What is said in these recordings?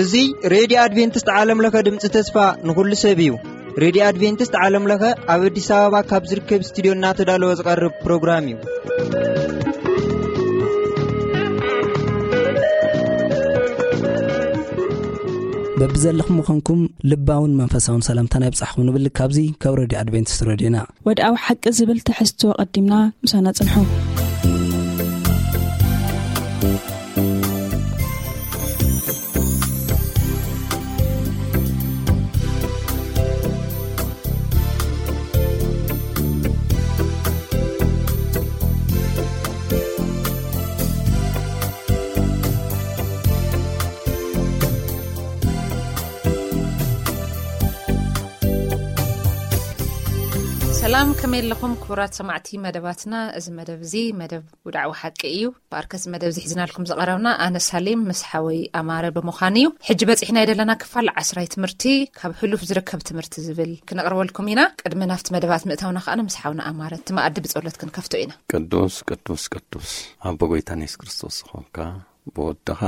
እዚ ሬድዮ ኣድቬንቲስት ዓለም ለኸ ድምፂ ተስፋ ንኹሉ ሰብ እዩ። ሬድዮ ኣድቬንቲስት ዓለም ለኸ ኣብ ኣዲስ ኣበባ ካብ ዝርከብ ስቱዲዮ እናተዳለወ ዝቐርብ ፕሮግራም እዩ። በብዘለኹም ምዃንኩም ልባውን መንፈሳውን ሰላምታና ይብጻሕኹም ንብል ካብዚ ካብ ሬድዮ ኣድቬንቲስት ሬድዮና። ወድኣዊ ሓቂ ዝብል ትሕዝቶ ቀዲምና ምሳና ጽንሑ። ሰላም፣ ከመይ ኣለኹም ክቡራት ሰማዕቲ መደባትና? እዚ መደብ እዚ መደብ ውድዓዊ ሓቂ እዩ። ብኣርከስ መደብ ዝሒዝናልኩም ዝቐረብና ኣነ ሳሌም ምስ ሓወይ ኣማረ ብምዃን እዩ። ሕጂ በፂሕና የደለና ክፋል ዓስራይ ትምህርቲ፣ ካብ ሕሉፍ ዝርከብ ትምህርቲ ዝብል ክነቕርበልኩም ኢና። ቅድሚ ናብቲ መደባት ምእታውና ከኣ ምስ ሓውና ኣማረ እቲ መኣዲ ብጸሎት ክንከፍቶ ኢና። ቅዱስ ቅዱስ ቅዱስ ኣቦ ጎይታን የሱስ ክርስቶስ ዝኾንካ፣ ብወድኻ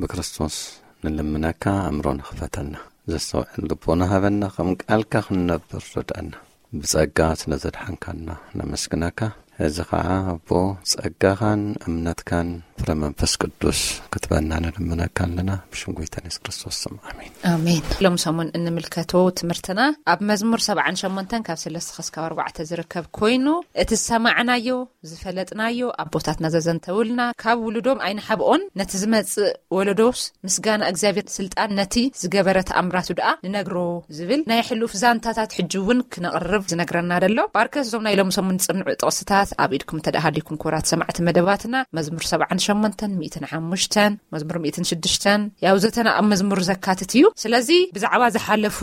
ብክርስቶስ ንልምነካ፣ ኣእምሮ ንኽፈተና፣ ዘስተውዕል ልቦና ሃበና፣ ከም ቃልካ ክንነብር ርድኣና። ብጸጋ ስለ ዘድሓንካና ነመስግነካ። እዚ ኸዓ ኣቦ ጸጋኻን እምነትካን ፍረ መንፈስ ቅዱስ ክትበና ንልምነካ ኣለና። ብሽም ጎይታን የሱስ ክርስቶስ ስም፣ ኣሜን። ኣሜን። ሎም ሰሙን እንምልከቶ ትምህርትና ኣብ መዝሙር ሰብዓን ሸሞንተን ካብ ሰለስተ ክስካብ ኣርባዕተ ዝርከብ ኮይኑ፣ እቲ ዝሰማዕናዮ ዝፈለጥናዮ ኣቦታትና ዘዘንተውልና ካብ ውሉዶም ኣይንሓብኦን፣ ነቲ ዝመጽእ ወለዶስ ምስጋና እግዚኣብሔር ስልጣን ነቲ ዝገበረ ተኣምራቱ ደኣ ንነግሮ ዝብል ናይ ሕሉፍ ዛንታታት ሕጂ እውን ክነቕርብ ዝነግረና ደሎ። ባርከስ እዞም ናይ ሎም ሰሙን ጽንዑ ጥቕስታት ኣብ ኢድኩም እንተ ደኣ ሃሊኩም ክቡራት ሰማዕቲ መደባትና መዝሙር ሰብዓን ሸሞንተን ሚእትን ሓሙሽተን መዝሙር ሚእትን ሽዱሽተን ያው ዘተና ኣብ መዝሙር ዘካትት እዩ። ስለዚ ብዛዕባ ዝሓለፉ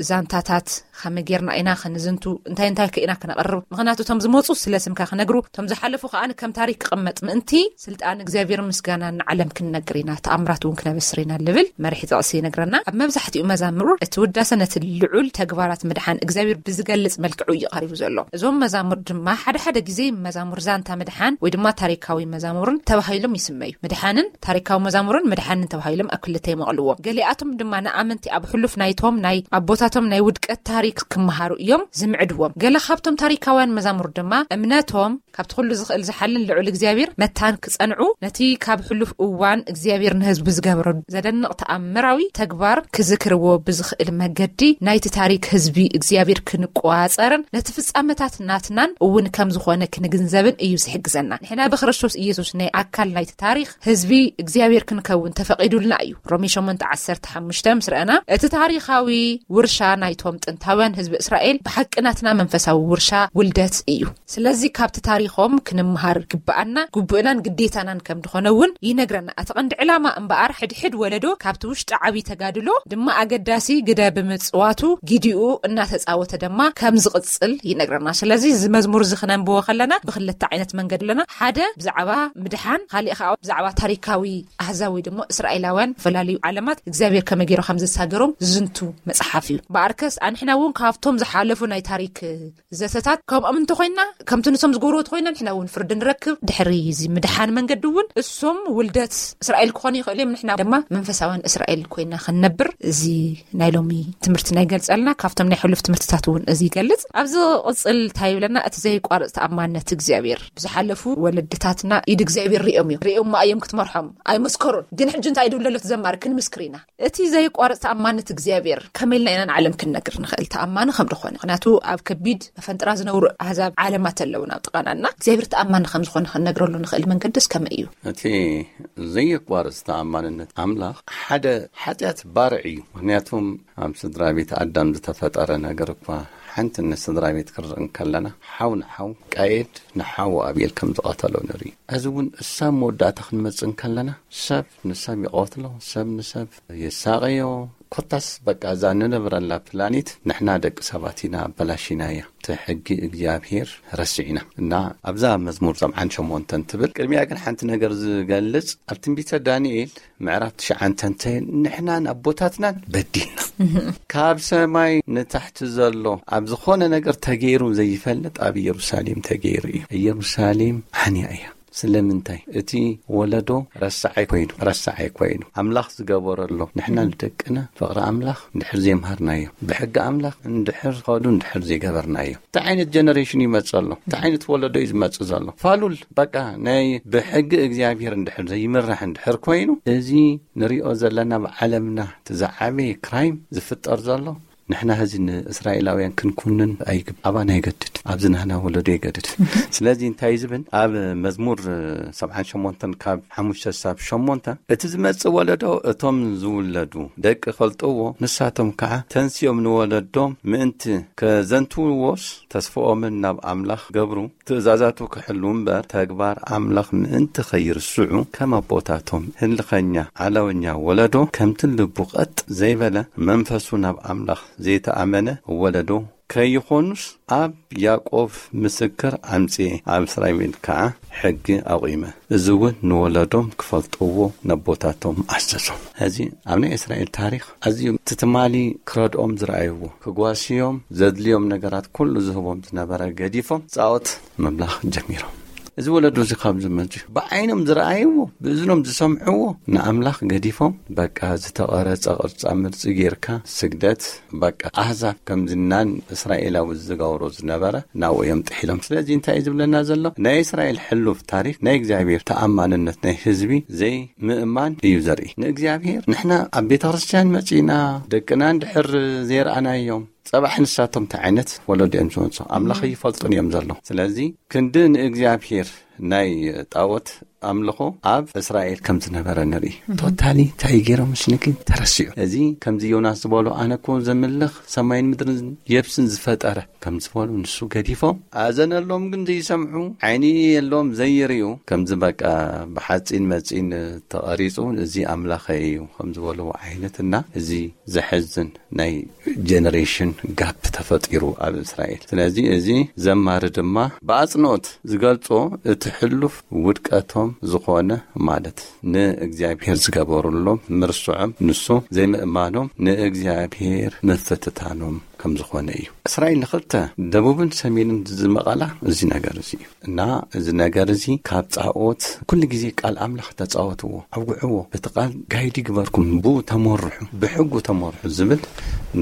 ዛንታታት ከመይ ጌርና ኢና ከንዝንቱ፣ እንታይ እንታይ ከ ኢና ክነቕርብ? ምኽንያቱ እቶም ዝመጹ ስለ ስምካ ክነግሩ፣ እቶም ዝሓለፉ ከኣ ከም ታሪክ ክቕመጥ ምእንቲ፣ ስልጣን እግዚኣብሔር ምስጋና ንዓለም ክንነግር ኢና፣ ተኣምራት እውን ክነበስር ኢና ልብል መርሒ ጥቕሲ ይነግረና። ኣብ መብዛሕትኡ መዛሙር እቲ ውዳሰ ነቲ ልዑል ተግባራት ምድሓን እግዚኣብሔር ብዝገልጽ መልክዑ እዩ ቀሪቡ ዘሎ። እዞም መዛሙር ድማ ሓደ ሓደ ግዜ መዛሙር ዛንታ ምድሓን ወይ ድማ ታሪካዊ መዛሙርን ተባሂሎም ይስመዩ። ምድሓንን ታሪካዊ መዛሙርን ምድሓንን ተባሂሎም ኣብ ክልተ ይመቕልዎም። ገሊኣቶም ድማ ንኣመንቲ ኣብ ሕሉፍ ናይቶም ናይ ኣቦታቶም ናይ ውድቀት ታሪክ ክመሃሩ እዮም ዝምዕድዎም። ገለ ካብቶም ታሪካውያን መዛሙር ድማ እምነቶም ካብቲ ኩሉ ዝኽእል ዝሓልን ልዑል እግዚኣብሔር መታን ክጸንዑ፣ ነቲ ካብ ሕሉፍ እዋን እግዚኣብሔር ንህዝቡ ዝገበሮ ዘደንቕ ተኣምራዊ ተግባር ክዝክርዎ ብዝኽእል መገዲ ናይቲ ታሪክ ህዝቢ እግዚኣብሔር ክንቆጻጸርን ነቲ ፍጻመታት ናትናን እውን ከም ዝኾነ ክንግንዘብን እዩ ዝሕግዘና። ንሕና ብክርስቶስ ኢየሱስ ናይ ኣካል ናይቲ ታሪኽ ህዝቢ እግዚኣብሔር ክንከውን ተፈቒዱልና እዩ። ሮሜ ሸሞንተ ዓሰርተ ሓሙሽተ ምስ ረኣና፣ እቲ ታሪኻዊ ውርሻ ናይቶም ጥንታውያን ህዝቢ እስራኤል ብሓቂ ናትና መንፈሳዊ ውርሻ ውልደት እዩ። ስለዚ ካብቲ ታሪኾም ክንምሃር ግብኣና፣ ግቡእናን ግዴታናን ከም ዝኾነ እውን ይነግረና። እቲ ቀንዲ ዕላማ እምበኣር፣ ሕድሕድ ወለዶ ካብቲ ውሽጢ ዓብዪ ተጋድሎ ድማ ኣገዳሲ ግደ ብምጽዋቱ፣ ግዲኡ እናተጻወተ ድማ ከም ዝቕጽል ይነግረና። ስለዚ እዚ መዝሙር እዚ ክነንብቦ ከለና ብክልተ ዓይነት መንገዲ ኣለና። ሓደ ብዛዕባ ምድሓን፣ ካሊእ ከዓ ብዛዕባ ታሪካዊ ኣህዛብ ወይ ድማ እስራኤላውያን፣ ዝተፈላለዩ ዓለማት እግዚኣብሔር ከመይ ገይሩ ከም ዘሳገሮም ዝዝንቱ መጽሓፍ እዩ። ብኣርከስ ኣንሕና እውን ካብቶም ዝሓለፉ ናይ ታሪክ ዘተታት ከምኦም እንተኾይና፣ ከምቲ ንሶም ዝገብርዎ ተኾይና፣ ንሕና እውን ፍርዲ ንረክብ። ድሕሪ እዚ ምድሓን መንገዲ እውን እሶም ውልደት እስራኤል ክኾኑ ይኽእሉ እዮም፣ ንሕና ድማ መንፈሳውያን እስራኤል ኮይና ክንነብር እዚ ናይ ሎሚ ትምህርቲ ናይ ገልጸልና። ካብቶም ናይ ሕሉፍ ትምህርትታት እውን እዚ ይገልጽ። ኣብዚ ቅጽል እንታይ ይብለና? እቲ ዘይቋርጽ ተኣማንነት እግዚኣብሔር። ብዝሓለፉ ወለድታትና ኢድ እግዚኣብሔር ሪኦም እዮም። ሪኦማ እዮም ክትመርሖም ኣይመስከሩን። ግን ሕጂ እንታይ ድብለሎ እቲ ዘማሪ? ክንምስክር ኢና። እቲ ዘይቋርጽ ተኣማንነት እግዚኣብሔር ከመይ ኢልና ኢና ንዓለም ክንነግር ንኽእል ተኣማኒ ከም ዝኾነ? ምኽንያቱ ኣብ ከቢድ መፈንጥራ ዝነብሩ ኣህዛብ ዓለማት ኣለዉ ናብ ጥቓና እና እግዚኣብሔር ተኣማኒ ከም ዝኾነ ክንነግረሉ ንኽእል መንገድስ ከመይ እዩ? እቲ ዘይቋርጽ ተኣማንነት ኣምላኽ ሓደ ሓጢኣት ባርዕ እዩ። ምኽንያቱም ኣብ ስድራ ቤት ኣዳም ዝተፈጠረ ነገር እኳ ሓንቲ ንስድራ ቤት ክንርኢ እንከለና ሓው ንሓው ቃየድ ንሓው ኣቤል ከም ዝቐተሎ ንርኢ። እዚ እውን እሳብ መወዳእታ ክንመጽእ እንከለና ሰብ ንሰብ ይቐትሎ፣ ሰብ ንሰብ የሳቐዮ፣ ኮታስ በቃ እዛ ንነብረላ ፕላኔት ንሕና ደቂ ሰባት ኢና ኣበላሽና እያ። እቲ ሕጊ እግዚኣብሔር ረሲዕና እና ኣብዛ መዝሙር ሰብዓን ሸሞንተን ትብል ቅድሚያ ግን ሓንቲ ነገር ዝገልጽ ኣብ ትንቢተ ዳንኤል ምዕራፍ ትሽዓን ተንተን ንሕናን ኣቦታትናን በዲልና ካብ ሰማይ ንታሕቲ ዘሎ ኣብ ዝኾነ ነገር ተገይሩ ዘይፈልጥ ኣብ ኢየሩሳሌም ተገይሩ እዩ። ኢየሩሳሌም ዓንያ እያ። ስለምንታይ እቲ ወለዶ ረሳዓይ ኮይኑ ረሳዓይ ኮይኑ ኣምላኽ ዝገበረሎ ንሕና ንደቅና ፍቕሪ ኣምላኽ እንድሕር ዘይምሃርናዮ ብሕጊ ኣምላኽ እንድሕር ኸዱ እንድሕር ዘይገበርናዮ እንታይ ዓይነት ጀነሬሽን ይመጽእ ኣሎ እንታይ ዓይነት ወለዶ እዩ ዝመጽእ ዘሎ ፋሉል በቃ ናይ ብሕጊ እግዚኣብሔር እንድሕር ዘይምራሕ እንድሕር ኮይኑ እዚ ንሪኦ ዘለና ብዓለምና እቲ ዝዓበየ ክራይም ዝፍጠር ዘሎ ንሕና ህዚ ንእስራኤላውያን ክንኩንን ኣይግብ ኣባና ይገድድ ኣብዚ ናህና ወለዶ ይገድድ ስለዚ እንታይ ዝብል ኣብ መዝሙር ሰብዓን ሸሞንተን ካብ ሓሙሽተ ሳብ ሸሞንተ እቲ ዝመጽእ ወለዶ እቶም ዝውለዱ ደቂ ፈልጥዎ ንሳቶም ከዓ ተንስዮም ንወለዶም ምእንቲ ከዘንትውዎስ ተስፍኦምን ናብ ኣምላኽ ገብሩ ትእዛዛቱ ክሕሉ እምበር ተግባር ኣምላኽ ምእንቲ ኸይርስዑ ከም ኣቦታቶም ህልኸኛ ዓለወኛ ወለዶ ከምቲ ልቡ ቐጥ ዘይበለ መንፈሱ ናብ ኣምላኽ ዘይተኣመነ ወለዶ ከይኾኑስ ኣብ ያዕቆብ ምስክር ኣምጽኤ ኣብ እስራኤል ከዓ ሕጊ ኣቑመ። እዚ እውን ንወለዶም ክፈልጥዎ ነቦታቶም ኣዘዞም። ሕዚ ኣብ ናይ እስራኤል ታሪኽ ኣዝዮም እቲ ትማሊ ክረድኦም ዝረኣይዎ ክጓስዮም ዘድልዮም ነገራት ኩሉ ዝህቦም ዝነበረ ገዲፎም ጻኦት ምምላኽ ጀሚሮም። እዚ ወለዶ እዚ ካብ ዝመጽኡ ብዓይኖም ዝረኣይዎ ብእዝኖም ዝሰምዕዎ ንኣምላኽ ገዲፎም በቃ ዝተቐረጸ ቅርጻ ምርጺ ጌርካ ስግደት በቃ ኣህዛብ ከምዚ ናን እስራኤላዊ ዝገብሮ ዝነበረ ናብኡ እዮም ጥሒሎም። ስለዚ እንታይ እዩ ዝብለና ዘሎ? ናይ እስራኤል ሕሉፍ ታሪክ ናይ እግዚኣብሔር ተኣማንነት ናይ ህዝቢ ዘይምእማን እዩ ዘርኢ። ንእግዚኣብሔር ንሕና ኣብ ቤተ ክርስትያን መጺና ደቅና እንድሕር ዘይረኣናዮም ጸባሕ ንሳቶም እንታይ ዓይነት ወለዶ እዮም ዝመጹ ኣምላኽ ይፈልጡን እዮም ዘለዉ። ስለዚ ክንዲ ንእግዚኣብሔር ናይ ጣዖት ኣምልኾ ኣብ እስራኤል ከም ዝነበረ ንርኢ። ቶታሊ እንታይ ገይሮም ምስልኪ ተረሲዑ። እዚ ከምዚ ዮናስ ዝበሎ ኣነ እኮ ዘምልኽ ሰማይን ምድርን የብስን ዝፈጠረ ከም ዝበሉ ንሱ ገዲፎም ኣዘነሎም ግን ዘይሰምዑ ዓይኒ የሎም ዘይርእዩ ከምዚ በቃ ብሓፂን መፂን ተቐሪፁ እዚ ኣምላኸይ እዩ ከም ዝበልዎ ዓይነት እና እዚ ዘሐዝን ናይ ጀነሬሽን ጋፕ ተፈጢሩ ኣብ እስራኤል። ስለዚ እዚ ዘማሪ ድማ ብኣጽንኦት ዝገልጾ እቲ ሕሉፍ ውድቀቶም ዝኾነ ማለት ንእግዚኣብሔር ዝገበሩሎም ምርስዖም ንሱ ዘይምእማኖም ንእግዚኣብሔር ምፍትታኖም ከም ዝኾነ እዩ። እስራኤል ንኽልተ ደቡብን ሰሜንን ዝመቐላ እዚ ነገር እዚ እዩ። እና እዚ ነገር እዚ ካብ ጻኦት ኩሉ ግዜ ቃል ኣምላኽ ተጻወትዎ፣ ኣውግዕዎ፣ በቲ ቃል ጋይድ ይግበርኩም፣ ብኡ ተመርሑ፣ ብሕጉ ተመርሑ ዝብል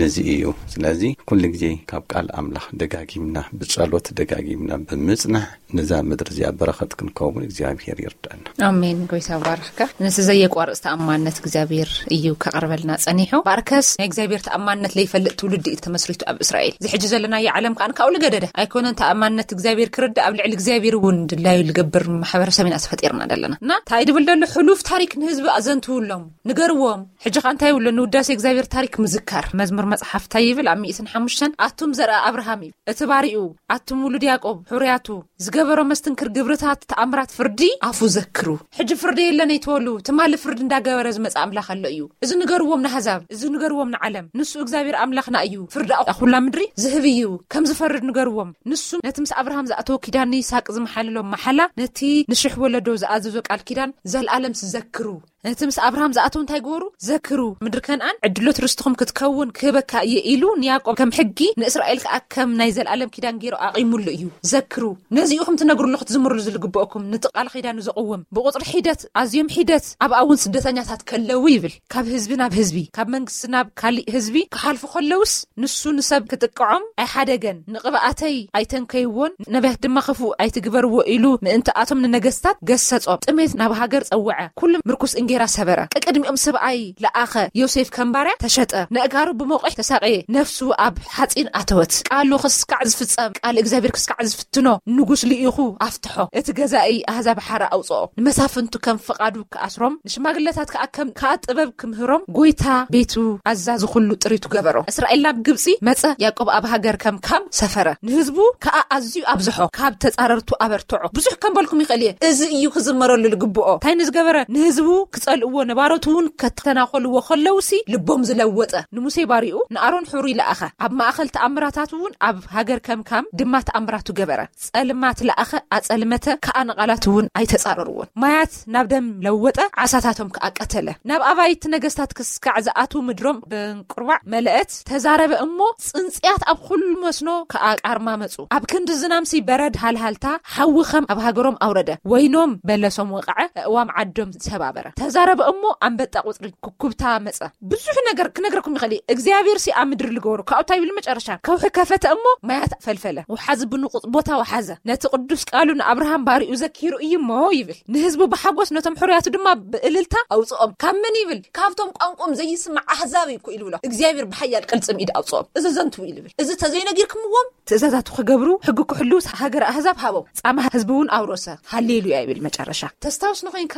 ነዚ እዩ። ስለዚ ኩሉ ግዜ ካብ ቃል ኣምላኽ ደጋጊምና ብጸሎት ደጋጊምና ብምጽናሕ ነዛ ምድሪ እዚኣ በረኸት ክንከውን እግዚኣብሔር ይርዳና። ኣሜን። ጎይታ ባርኽካ። ነቲ ዘየቋርጽ ተኣማንነት እግዚኣብሔር እዩ ከቕርበልና ጸኒሑ። ባርከስ ናይ እግዚኣብሔር ተኣማንነት ለይፈልጥ ትውልዲ እዩ ተመስሪቱ ኣብ እስራኤል። እዚ ሕጂ ዘለናዮ ዓለም ከኣ ካብኡ ልገደደ ኣይኮነን። ተኣማንነት እግዚኣብሔር ክርዳእ ኣብ ልዕሊ እግዚኣብሔር እውን ድላዩ ልገብር ማሕበረሰብ ኢና ተፈጢርና ዘለና። እና እንታይ ድብል ደሎ ሕሉፍ ታሪክ ንህዝቢ ኣዘንትውሎም፣ ንገርዎም። ሕጂ ከኣ እንታይ ይብሎ? ንውዳሴ እግዚኣብሔር ታሪክ ምዝካር። መዝሙር መጽሓፍ እንታይ ይብል? ኣብ ሚእትን ሓሙሽተን ኣቱም ዘርኣ ኣብርሃም እዩ እቲ ባሪኡ ኣቱም ውሉድ ያዕቆብ፣ ሕሩያቱ፣ ዝገበሮ መስትንክር ግብርታት፣ ተኣምራት፣ ፍርዲ ኣፉ ዘክሩ። ሕጂ ፍርዲ የለን ኣይትበሉ፣ ትማሊ ፍርዲ እንዳገበረ ዝመጽእ ኣምላኽ ኣሎ እዩ። እዚ ንገርዎም ንኣህዛብ፣ እዚ ንገርዎም ንዓለም። ንሱ እግዚኣብሔር ኣምላኽና እዩ፣ ፍርዲ ኣብ ኩላ ምድሪ ዝህብ እዩ። ከም ዝፈርድ ንገርዎም። ንሱ ነቲ ምስ ኣብርሃም ዝኣተዎ ኪዳን፣ ንይስሃቅ ዝመሓለሎ መሓላ፣ ነቲ ንሽሕ ወለዶ ዝኣዘዞ ቃል ኪዳን፣ ዘልኣለምስ ዘክሩ። ነቲ ምስ ኣብርሃም ዝኣተዉ እንታይ ግበሩ? ዘክሩ። ምድሪ ከነኣን ዕድሎት ርስትኹም ክትከውን ክህበካ እየ ኢሉ ንያዕቆብ ከም ሕጊ፣ ንእስራኤል ከኣ ከም ናይ ዘልኣለም ኪዳን ገይሩ ኣቒሙሉ እዩ። ዘክሩ። ነዚ ኢኹም ትነግሩሉ፣ ክትዝምሩሉ ዝልግብኦኩም፣ ነቲ ቃል ኪዳኑ ዘቕውም። ብቑጽሪ ሒደት፣ ኣዝዮም ሒደት፣ ኣብኣ እውን ስደተኛታት ከለዉ ይብል። ካብ ህዝቢ ናብ ህዝቢ፣ ካብ መንግስቲ ናብ ካሊእ ህዝቢ ክሓልፉ ከለውስ፣ ንሱ ንሰብ ክጥቅዖም ኣይሓደገን። ንቕብኣተይ ኣይተንከይዎን፣ ነቢያት ድማ ክፉእ ኣይትግበርዎ ኢሉ ምእንታኣቶም ንነገስታት ገሰጾም። ጥሜት ናብ ሃገር ጸውዐ፣ ኩሉ ምርኩስ እንጌራ ሰበረ። ቅድሚኦም ሰብኣይ ለኣኸ፣ ዮሴፍ ከም ባርያ ተሸጠ። ነእጋሩ ብመቑሕ ተሳቐየ፣ ነፍሱ ኣብ ሓጺን ኣተወት። ቃሉ ክስካዕ ዝፍጸም፣ ቃል እግዚኣብሔር ክስካዕ ዝፍትኖ ንጉስ ልኢኹ ኣፍትሖ። እቲ ገዛኢ ኣህዛብ ሓራ ኣውጽኦ፣ ንመሳፍንቱ ከም ፍቓዱ ክኣስሮም፣ ንሽማግለታት ከኣ ከም ከኣ ጥበብ ክምህሮም፣ ጎይታ ቤቱ ኣዛዚ ኩሉ ጥሪቱ ገበሮ። እስራኤል ናብ ግብጺ መጸ፣ ያዕቆብ ኣብ ሃገር ከም ካም ሰፈረ። ንህዝቡ ከኣ ኣዝዩ ኣብዝሖ፣ ካብ ተጻረርቱ ኣበርትዖ። ብዙሕ ከም በልኩም ይኽእል እየ። እዚ እዩ ክዝመረሉ ዝግብኦ። እንታይ ንዝገበረ? ንህዝቡ ዝጸልእዎ ነባሮት እውን ከተናኾልዎ ከለውሲ ልቦም ዝለወጠ ንሙሴ ባሪኡ ንኣሮን ሑር ይለኣኸ። ኣብ ማእኸል ተኣምራታት እውን ኣብ ሃገር ከምካም ድማ ተኣምራቱ ገበረ። ጸልማት ለኣኸ፣ ኣጸልመተ፣ ከኣ ንቓላት እውን ኣይተጻረርዎን። ማያት ናብ ደም ለወጠ፣ ዓሳታቶም ከኣ ቀተለ። ናብ ኣባይቲ ነገስታት ክስካዕ ዝኣትዉ ምድሮም ብንቁርባዕ መለአት። ተዛረበ እሞ ጽንጽያት ኣብ ኩሉ መስኖ ከኣ ቃርማ መጹ። ኣብ ክንዲ ዝናምሲ በረድ ሃልሃልታ ሓዊ ከም ኣብ ሃገሮም ኣውረደ። ወይኖም በለሶም ወቕዐ፣ እእዋም ዓዶም ሰባበረ። ተዛረበ እሞ ኣንበጣ ቁጽሪ ኩኩብታ መጸ። ብዙሕ ነገር ክነግረኩም ይኽእል እየ። እግዚኣብሔር ሲ ኣብ ምድሪ ልገበሩ ካብኡ እንታይ ይብል? መጨረሻ ከውሒ ከፈተ እሞ ማያት ፈልፈለ። ወሓዚ ብንቑጽ ቦታ ወሓዘ። ነቲ ቅዱስ ቃሉ ንኣብርሃም ባሪኡ ዘኪሩ እዩ እሞ ይብል። ንህዝቡ ብሓጎስ ነቶም ሕሩያቱ ድማ ብእልልታ ኣውፅኦም። ካብ መን ይብል? ካብቶም ቋንቋኦም ዘይስማዕ ኣህዛብ እዩ እኮ ኢሉ ብሎ። እግዚኣብሔር ብሓያል ቅልጽም ኢድ ኣውፅኦም። እዚ ዘንትው ኢሉ ይብል። እዚ ተዘይነጊርክምዎም ትእዛዛቱ ክገብሩ ሕጊ ክሕሉ ሃገር ኣህዛብ ሃቦም። ጻማ ህዝቢ እውን ኣውረሰ። ሃሌሉያ ይብል መጨረሻ። ተስታውስ ንኾይንካ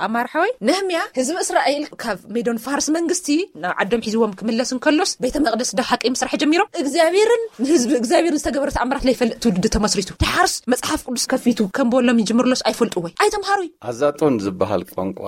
ኣማር ሓወይ፣ ነህምያ ህዝቢ እስራኤል ካብ ሜዶን ፋርስ መንግስቲ ናብ ዓዶም ሒዝዎም ክምለስ እንከሎስ ቤተ መቅደስ ዶ ሓቂ ምስራሕ ጀሚሮም? እግዚኣብሔርን ንህዝቢ እግዚኣብሔር ዝተገበረ ተኣምራት ለይፈልጥ ትውልዲ ተመስሪቱ። ድሓርስ መጽሓፍ ቅዱስ ከፊቱ ከም በሎም ይጅምርሎስ ኣይፈልጡ ወይ ኣይተምሃሩይ። ኣዛጦን ዝበሃል ቋንቋ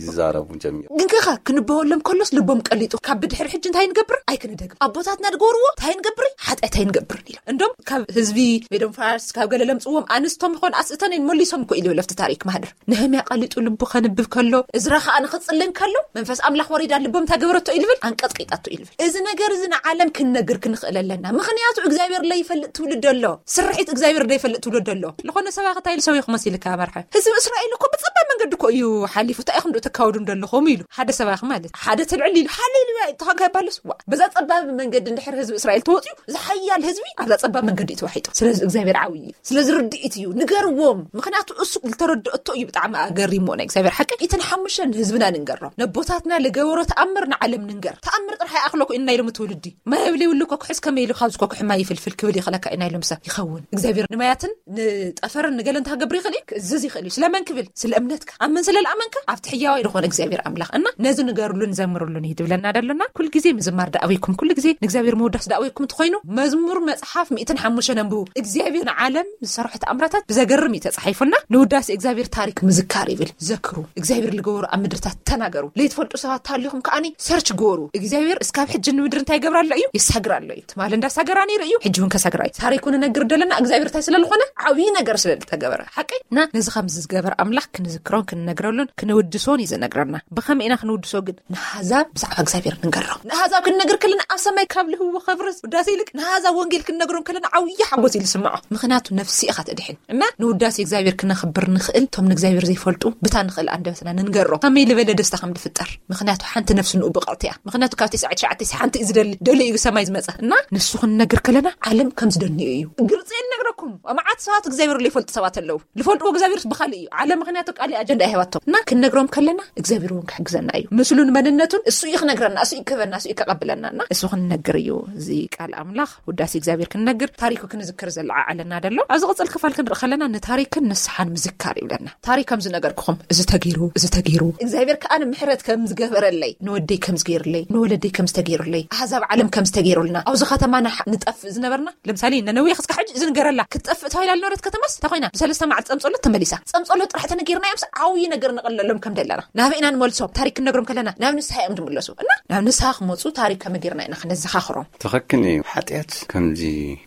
ይዛረቡ ጀሚሩ። ግን ከኻ ክንበወሎም ከሎስ ልቦም ቀሊጡ። ካብ ብድሕሪ ሕጂ እንታይ ንገብር? ኣይክንደግም። ኣቦታትና ድገብርዎ እንታይ ንገብር? ሓጢኣት ኣይንገብርን ኢሎም። እንዶም ካብ ህዝቢ ሜዶን ፋርስ ካብ ገለ ለምጽዎም ኣንስቶም ይኾን ኣስእተን እየን መሊሶም እኮ ኢሉ ለፍቲ ታሪክ ማህደር። ነህምያ ቀሊጡ ልቡ ከንብብ ከሎ፣ እዝራ ከኣ ንኽጽልን ከሎ፣ መንፈስ ኣምላኽ ወሪዳ ልቦም እንታይ ገበረቶ ኢልብል? ኣንቀጥቂጣቶ ኢልብል። እዚ ነገር እዚ ንዓለም ክንነግር ክንኽእል ኣለና። ምኽንያቱ እግዚኣብሔር ለይፈልጥ ትውልድ ኣሎ። ስርሒት እግዚኣብሔር ለይፈልጥ ትውልድ ኣሎ። ዝኾነ ሰባኺ እንታይ ኢሉ ሰቢኹ መሲልካ መርሓ? ህዝቢ እስራኤል እኮ ብጸባብ መንገዲ እኮ እዩ ሓሊፉ። እንታይ ኢኹም ዶ ተካወዱ እንደለኹም ኢሉ። ሓደ ሰባኺ ማለት ሓደ ትልዕል ኢሉ ሃሌሉያ ተኾንካ ይባልስ? ዋ፣ በዛ ጸባብ መንገዲ እንድሕር ህዝቢ እስራኤል ተወጽዩ፣ ዝሓያል ህዝቢ ኣብዛ ጸባብ መንገዲ እዩ ተዋሒጡ። ስለዚ እግዚኣብሔር ዓብዪ እዩ። ስለዚ ርድኢት እዩ። ንገርዎም። ምኽንያቱ እሱ ዝተረድኦ እቶ እዩ ብጣዕሚ ኣገሪሞ ናይ እግዚኣብሔር ሓቂ። ኢትን ሓሙሽተን ንህዝብና ንንገሮም። ነቦታትና ልገበሮ ተኣምር ንዓለም ንንገር። ተኣምር ጥራሕ ይኣኽለኩ ኢና ኢሎም ትውልዲ። ማይ የብለይ ውሉ ኮኩሕስ ከመይ ኢሉ ካብዚ ኮኩሕ ማይ ይፍልፍል ክብል ይኽለካ ኢና ኢሎም ሰብ ይኸውን። እግዚኣብሔር ንማያትን ንጠፈርን ንገለን ተገብር ይኽእል እዩ። ክእዝዝ ይኽእል እዩ። ስለመን ክብል? ስለ እምነትካ። ኣመን ስለ ለኣመንካ ኣብቲ ሕያዋይ ዝኾነ እግዚኣብሔር ኣምላኽ። እና ነዚ ንገርሉን ዘምርሉን እዩ ትብለና ደሎና። ኩል ግዜ ምዝማር ደኣበይኩም። ኩል ግዜ ንእግዚኣብሔር ምውዳስ ደኣበይኩም ትኾይኑ። መዝሙር መጽሓፍ ሚእትን ሓሙሽተን ኣንብቡ። እግዚኣብሔር ንዓለም ዝሰርሖ ተኣምራታት ብዘገርም እዩ ተጻሒፉና። ንውዳሴ እግዚኣብሔር ታሪክ ምዝካር ይብል። ዘክሩ። እግዚኣብሔር ልገበሩ ኣብ ምድርታት ተናገሩ። ለይትፈልጡ ሰባት ታሊኹም ከኣኒ ሰርች ገበሩ። እግዚኣብሔር እስካብ ሕጂ ንምድሪ እንታይ ይገብር ኣሎ እዩ? ይሳግር ኣሎ እዩ። ትማል እንዳሳገራ ነይሩ እዩ። ሕጂ እውን ከሳግራ እዩ። ታሪኩ ንነግር ደለና እግዚኣብሔር እንታይ ስለ ዝኾነ ዓብዪ ነገር ስለ ዝተገበረ። ሓቂ? እና ነዚ ከምዚ ዝገበር ኣምላኽ ክንዝክሮን ክንነግረሉን ክንውድሶን እዩ ዝነግረና። ብኸመይ ኢና ክንውድሶ ግን? ንኣህዛብ ብዛዕባ እግዚኣብሔር ንንገሮም። ንኣህዛብ ክንነግር ከለና ኣብ ሰማይ ካብ ልህዎ ኸብርስ ውዳሴ ይልቅ ንኣህዛብ ወንጌል ክንነግሮም ከለና ዓብዪ ሓጎስ እዩ ዝስምዖ። ምኽንያቱ ነፍሲ ኢኻ ተድሕን። እና ንውዳሴ እግዚኣብሔር ክነኽብር ንኽእል እቶም ንእግዚኣብሔር ዘይፈልጡ ብታ ንኽእል ኣንደበትና ንንገሮም። ከመይ ልበለ ደስታ ከም ዝፍጠር። ምኽንያቱ ሓንቲ ነፍሲ ንኡ ብቕዕቲ እያ። ምኽንያቱ ካብ ተስዓት ትሽዓተ ሓንቲ እዩ ዝደሊ። ደልዩ እዩ ሰማይ ዝመጸ። እና ንሱ ክንነግር ከለና ዓለም ከም ዝደንዮ እዩ። ግልጺ እየ ንነግረኩም። መዓት ሰባት እግዚኣብሔር ዘይፈልጡ ሰባት ኣለዉ። ዝፈልጥዎ እግዚኣብሔርስ ብኻልእ እዩ። ዓለም ምኽንያቱ ቃል ኣጀንዳ ኣይሃባቶም። እና ክንነግሮም ከለና እግዚኣብሔር እውን ክሕግዘና እዩ። ምስሉን መንነቱን እሱ እዩ ክነግረና፣ እሱ እዩ ክህበና፣ እሱ እዩ ከቐብለና። እና እሱ ክንነግር እዩ። እዚ ቃል ኣምላኽ ውዳሴ እግዚኣብሔር ክንነግር ታሪኩ ክንዝክር ዘለዓዓለና ደሎ። ኣብዚ ቅጽል ክፋል ክንርኢ ከለና ንታሪክን ንስሓን ምዝካር ይብለና። ታሪክ ከም ዝነገርኩኹም እዚ ተገይሩ፣ እዚ ተገይሩ። እግዚኣብሔር ከኣ ንምሕረት ከም ዝገበረለይ፣ ንወደይ ከም ዝገይርለይ፣ ንወለደይ ከም ዝተገይሩለይ፣ ኣህዛብ ዓለም ከም ዝተገይሩልና፣ ኣብዚ ከተማ ንሓ-፣ ንጠፍእ ዝነበርና፣ ለምሳሌ ነነዌ ክስካ ሕጂ እዚ ንገረላ፣ ክትጠፍእ ተባሂላ ዝነበረት ከተማስ እንታይ ኮይና? ብሰለስተ መዓልቲ ጸምጸሎት ተመሊሳ። ጸምጸሎት ጥራሕ ተነጊርና እዮምስ ዓብዪ ነገር ንቐለሎም ከም ደለና። ናበይ ኢና ንመልሶም? ታሪክ ክንነግሮም ከለና ናብ ንስሓ እዮም ዝምለሱ። እና ናብ ንስሓ ክመጹ ታሪክ ከመይ ጌርና ኢና ክነዘኻኽሮም? ትኽክል እዩ። ሓጢኣት ከምዚ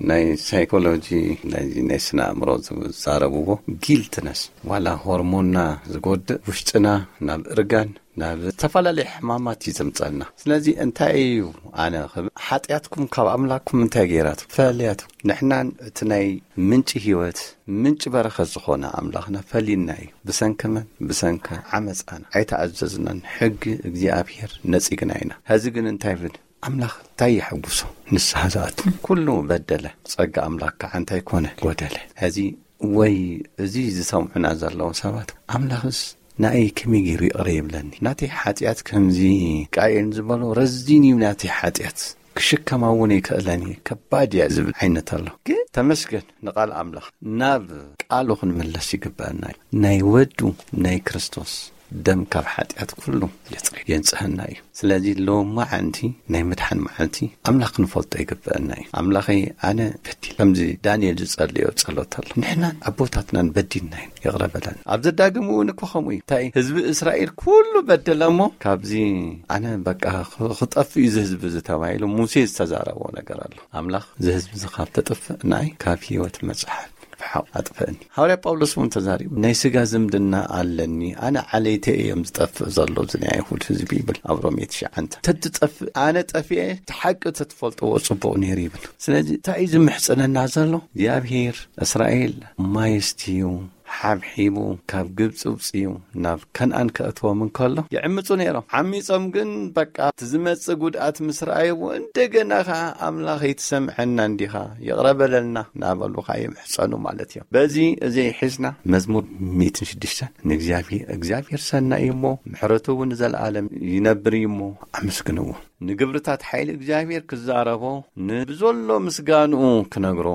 ናይ ሳይኮሎጂ፣ ናይ፣ ናይ ስነ ኣእምሮ ዝዛረብዎ ጊልትነስ፣ ዋላ ሆርሞንና ዝጎድእ፣ ውሽጥና ናብ እርጋን፣ ናብ ዝተፈላለየ ሕማማት እዩ ዘምጸልና። ስለዚ እንታይ እዩ ኣነ ክብል፣ ሓጢኣትኩም ካብ ኣምላክኩም እንታይ ገይራትኩም ፈለያትኩም? ንሕናን እቲ ናይ ምንጪ ህይወት፣ ምንጪ በረኸት ዝኾነ ኣምላኽና ፈሊና እዩ። ብሰንኪ መን? ብሰንኪ ዓመጻና። ኣይተኣዘዝናን። ሕጊ እግዚኣብሔር ነጺግና ኢና። ሕዚ ግን እንታይ ይብል? ኣምላኽ እንታይ የሐጉሶ? ንስሓ ዝኣቱ። ኩሉ በደለ፣ ጸጋ ኣምላኽ ከዓ እንታይ ኮነ? ጎደለ። ሕዚ ወይ እዚ ዝሰምዑና ዘለዉ ሰባት፣ ኣምላኽስ ንኣይ ከመይ ገይሩ ይቕረ ይብለኒ? ናተይ ሓጢኣት ከምዚ ቃየል ዝበሎ ረዚን እዩ ናተይ ሓጢኣት። ክሽከማ እውን ኣይክእለን እየ፣ ከባድ እያ ዝብል ዓይነት ኣሎ። ግን ተመስገን ንቓል ኣምላኽ። ናብ ቃሉ ክንምለስ ይግበአና እዩ። ናይ ወዱ ናይ ክርስቶስ ደም ካብ ሓጢኣት ኩሉ የጽሪ የንጽህና እዩ። ስለዚ ሎማዓንቲ ናይ ምድሓን መዓልቲ ኣምላኽ ክንፈልጦ ይግብአና እዩ። ኣምላኸይ፣ ኣነ በዲል፣ ከምዚ ዳንኤል ዝጸለዮ ጸሎት ኣሎ። ንሕናን ኣቦታትናን በዲልና እዩ፣ ይቕረ በለና። ኣብ ዘዳግም እውን እኮ ከምኡ እዩ። እንታይ፣ ህዝቢ እስራኤል ኩሉ በደለ እሞ ካብዚ ኣነ በቃ ኽ- ክጠፍእ እዩ እዚ ህዝቢ እዚ ተባሂሉ ሙሴ ዝተዛረቦ ነገር ኣሎ። ኣምላኽ፣ እዚ ህዝቢ እዚ ካብ ተጥፍእ ንኣይ ካብ ህይወት መጽሓፍ ብሓው ኣጥፍእኒ። ሃዋርያ ጳውሎስ እውን ተዛሪቡ፣ ናይ ስጋ ዝምድና ኣለኒ፣ ኣነ ዓለይተ እዮም ዝጠፍእ ዘሎ እዚ ናይ ኣይሁድ ህዝቢ ይብል ኣብ ሮሜ ትሽዓንተ። ተትጠፍእ ኣነ ጠፊኤ፣ እቲ ሓቂ ተትፈልጥዎ ጽቡቕ ነይሩ ይብል። ስለዚ እንታይ እዩ ዝምሕጽነና ዘሎ? እግዚኣብሔር እስራኤል ማየስትዩ ሓብሒቡ ካብ ግብፂ ውፅዩ ናብ ከነኣን ከእትዎም እንከሎ ይዕምፁ ነይሮም። ዓሚፆም ግን በቃ እቲ ዝመፅእ ጉድኣት ምስ ረኣይዎ እንደገና ከዓ ኣምላኽ ይትሰምዐና እንዲኻ ይቕረ በለልና እናበሉ ከዓ ይምሕፀኑ ማለት እዮም። በዚ እዚ ሒዝና መዝሙር ሚእትን ሽዱሽተን ንእግዚኣብሔር እግዚኣብሔር ሰናይ እዩ እሞ ምሕረቱ እውን ንዘለኣለም ይነብር እዩ እሞ ኣመስግንዎ። ንግብርታት ሓይሊ እግዚኣብሔር ክዛረቦ ንብዘሎ ምስጋንኡ ክነግሮ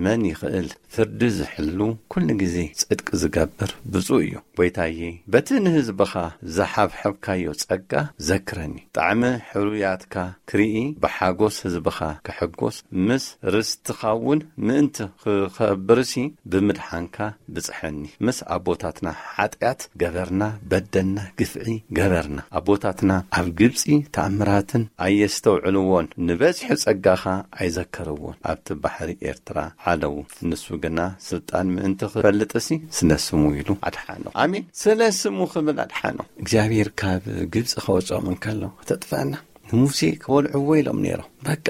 መን ይኽእል? ፍርዲ ዝሕሉ ኩሉ ግዜ ጽድቂ ዝገብር ብፁዕ እዩ። ጐይታዬ በቲ ንህዝብኻ ዝሓብሐብካዮ ጸጋ ዘክረኒ። ጣዕሚ ሕሩያትካ ክርኢ ብሓጎስ ህዝብኻ ክሕጎስ ምስ ርስትኻውን ምእንቲ ክኸብርሲ ብምድሓንካ ብጽሐኒ። ምስ ኣቦታትና ሓጢኣት ገበርና በደልና ግፍዒ ገበርና። ኣቦታትና ኣብ ግብጺ ተኣምራትን ኣየስተውዕልዎን ንበዝሒ ጸጋኻ ኣይዘከርዎን። ኣብቲ ባሕሪ ኤርትራ ዓለዉ። ንሱ ግና ስልጣን ምእንቲ ክፈልጥሲ ስለ ስሙ ኢሉ ኣድሓኖ። ኣሜን። ስለ ስሙ ክብል ኣድሓኖ። እግዚኣብሔር ካብ ግብጺ ከወጽኦም እንከሎ ክተጥፍኣና ንሙሴ ክወልዕዎ ኢሎም ነይሮም። በቃ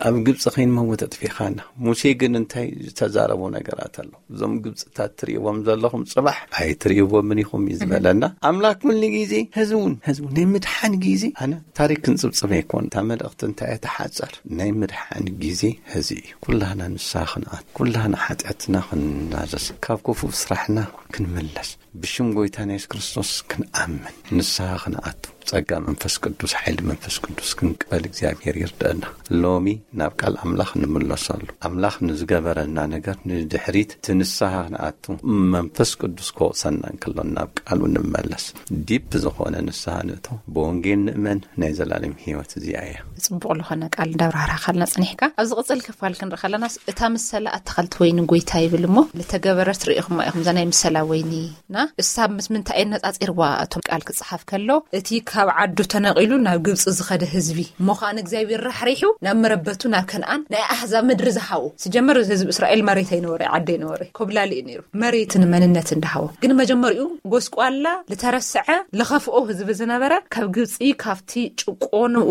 ኣብ ግብፂ ከይንመውት ኣጥፊኻና። ሙሴ ግን እንታይ ዝተዛረቦ ነገራት ኣሎ? እዞም ግብፅታት ትርእይዎም ዘለኹም ፅባሕ ኣይትርእይዎምን ኢኹም እዩ ዝበለና ኣምላክ። ኩሉ ግዜ ህዝቡን ህዝቡ ናይ ምድሓን ግዜ ኣነ ታሪክ ክንፅብፅብ ኣይኮን። እታ መልእክቲ እንታይ እያ ተሓፀር ናይ ምድሓን ግዜ ህዚ እዩ። ኩላህና ንስሓ ክንኣት ኩላህና ሓጢኣትና ክንናዘዝ ካብ ክፉእ ስራሕና ክንምለስ ብሽም ጎይታና የሱስ ክርስቶስ ክንኣምን ንስሓ ክንኣቱ ጸጋ መንፈስ ቅዱስ ሓይሊ መንፈስ ቅዱስ ክንቅበል እግዚኣብሔር ይርደአና። ሎሚ ናብ ቃል ኣምላኽ ንምለሰሉ ኣምላኽ ንዝገበረልና ነገር ንድሕሪት ትንስሓ ክንኣቱ መንፈስ ቅዱስ ክወቕሰና እንከሎ ናብ ቃሉ ንመለስ። ዲፕ ዝኾነ ንስሓ ንእቶ ብወንጌል ንእመን ናይ ዘላለም ህይወት እዚኣ እያ። ጽቡቕ ዝኾነ ቃል እንዳብራህራኻልና ጽኒሕካ ኣብዚ ቅጽል ክፋል ክንርኢ ከለናስ እታ ምሰላ ኣታኸልቲ ወይኒ ጎይታ ይብል እሞ ልተገበረት ርእኹማ ኢኹም እዛ ናይ ምሰላ ወይኒ ና እሳ ምስ ምንታይ የነጻጺርዋ እቶም ቃል ክጽሓፍ ከሎ እቲ ካብ ዓዱ ተነቒሉ ናብ ግብጺ ዝኸደ ህዝቢ እሞ ኸኣ ንእግዚኣብሔር ራሕሪሑ ናብ መረበቱ ናብ ከነኣን ናይ ኣሕዛብ ምድሪ ዝሃቦ። ስጀመር ህዝቢ እስራኤል መሬት ኣይነበረ ዓዲ ኣይነበረ ኮብላሊ እዩ ነይሩ። መሬትን መንነትን ድሃቦ ግን መጀመሪኡ ጎስቋላ ልተረስዐ ልኸፍኦ ህዝቢ ዝነበረ ካብ ግብጺ ካብቲ ጭቆንኡ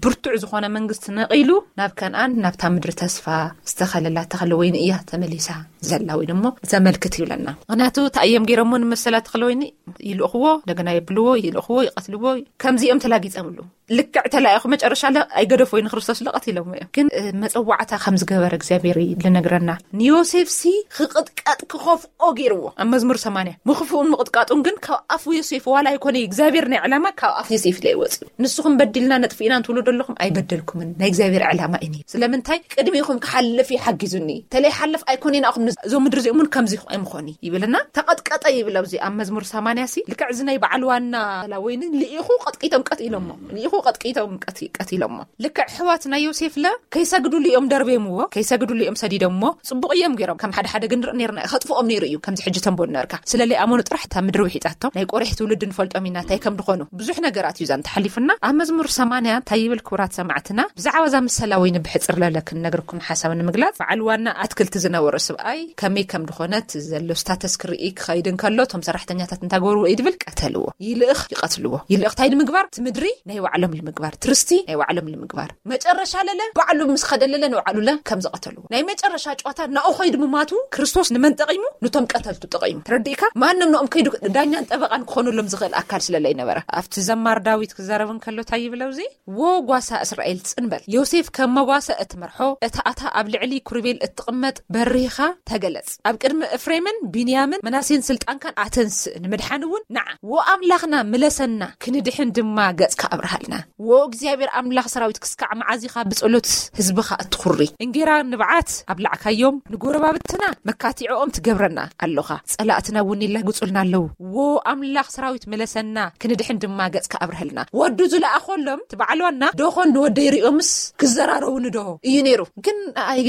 ብርቱዕ ዝኾነ መንግስቲ ነቒሉ ናብ ከነኣን ናብታ ምድሪ ተስፋ ዝተኸለላ ተኸለ ወይኒ እያ ተመሊሳ ዘላ ወይ ደሞ ዘመልክት ይብለና። ምክንያቱ እንታይ እዮም ገይሮሞ ንመሰላ ተኽለ ወይኒ ይልእኽዎ እንደገና የብልዎ ይልእኽዎ ይቐትልዎ ከምዚ እዮም ተላጊጸምሉ። ልክዕ ተላኢኹ መጨረሻ ለ ኣይገደፎ ንክርስቶስ ለ ቀቲሎሞ እዮም። ግን መፀዋዕታ ከም ዝገበረ እግዚኣብሔር ልነግረና ንዮሴፍ ሲ ክቕጥቀጥ ክኸፍኦ ገይርዎ ኣብ መዝሙር ሰማንያ ምኽፍኡን ምቕጥቃጡን ግን ካብ ኣፉ ዮሴፍ ዋላ ኣይኮነ እግዚኣብሔር ናይ ዕላማ ካብ ኣፍ ዮሴፍ ለ ይወፅእ። ንስኹም በዲልና ነጥፍኢና እንትብሉ ዘለኹም ኣይበደልኩምን ናይ እግዚኣብሔር ዕላማ እዩ። ስለምንታይ ቅድሚኹም ክሓልፍ ይሓጊዙኒ ተለይ ሓለፍ ኣይኮነ ናኹም እዞም ምድሪ እዚኦምን ከምዚ ኣይምኾኒ ይብልና። ተቐጥቀጠ ይብል ኣብዚ ኣብ መዝሙር ሰማንያ ሲ ልክዕ እዚ ናይ በዓል ዋና ላ ወይኒ ልኢኹ ቀጥቂቶም ቀት ኢሎሞ ልኢኹ ቀጥቂቶም ቀቲሎሞ። ልክዕ ኣሕዋት ናይ ዮሴፍ ለ ከይሰግዱሉ እዮም ደርቤምዎ ከይሰግዱሉ እዮም ሰዲዶምዎ። ጽቡቕ እዮም ገይሮም ከም ሓደ ሓደ ግን ንርኢ ነርና ከጥፍኦም ነይሩ እዩ ከምዚ ሕጂ ተንቦ ነርካ ስለለይ ኣመኑ ጥራሕ እታ ምድሪ ውሒጣቶም ናይ ቆሬሕ ትውልድ ንፈልጦም ኢና እንታይ ከም ዝኾኑ ብዙሕ ነገራት እዩ ዛን ተሓሊፉና። ኣብ መዝሙር ሰማንያ እንታይ ይብል ክቡራት ሰማዕትና ብዛዕባ እዛ ምሰላ ወይኒ ብሕጽር ለለ ክንነግርኩም ሓሳብ ንምግላጽ በዓል ዋና ኣትክልቲ ዝነበሮ ስብኣይ ከመይ ከም ዝኾነት ዘሎ ስታተስ ክርኢ ክኸይድ እንከሎ እቶም ሰራሕተኛታት እንታይ ገበርዎ እዩ ድብል ቀተልዎ። ይልእኽ ይቐትልዎ። ይልእኽ እንታይ ንምግባር እቲ ምድሪ ናይ ባዕሎም ንምግባር ትርስቲ ናይ ባዕሎም ንምግባር መጨረሻ ለለ ባዕሉ ምስ ኸደለለ ንባዕሉለ ከም ዝቐተልዎ ናይ መጨረሻ ጨዋታ ናኡ ኸይዱ ምማቱ ክርስቶስ ንመን ጠቒሙ? ንቶም ቀተልቱ ጠቒሙ። ተረዲእካ ማንም ንኦም ከይዱ ዳኛን ጠበቓን ክኾነሎም ዝኽእል ኣካል ስለለይ ነበረ። ኣብቲ ዘማር ዳዊት ክዛረብ እንከሎ እንታይ ይብለው እዚ ዎ ጓሳ እስራኤል ጽን በል ዮሴፍ ከም መጓሰ እትመርሖ እታ ኣታ ኣብ ልዕሊ ኩርቤል እትቕመጥ በሪኻ ተገለጽ። ኣብ ቅድሚ እፍሬምን ቢንያምን መናሴን ስልጣንካን ኣተንስእ ንምድሓን እውን ንዓ ዎ ኣምላኽና ምለሰና ክንድሕን ድማ ገጽካ ኣብርሃልና። ወ እግዚኣብሔር ኣምላኽ ሰራዊት፣ ክስካዕ መዓዚኻ ብጸሎት ህዝብኻ እትኹሪ? እንጌራ ንብዓት ኣብላዕካዮም፣ ንጎረባብትና መካቲዖኦም ትገብረና ኣሎኻ። ጸላእትና እውን ይላግጹልና ኣለዉ። ወ ኣምላኽ ሰራዊት፣ ምለሰና፣ ክንድሕን ድማ ገጽካ ኣብርሀልና። ወዱ ዝለኣኸሎም፣ እቲ በዓል ዋና፣ ዶኾን ንወደይ ሪኦምስ ክዘራረቡኒ ዶ እዩ ነይሩ። ግን ኣይ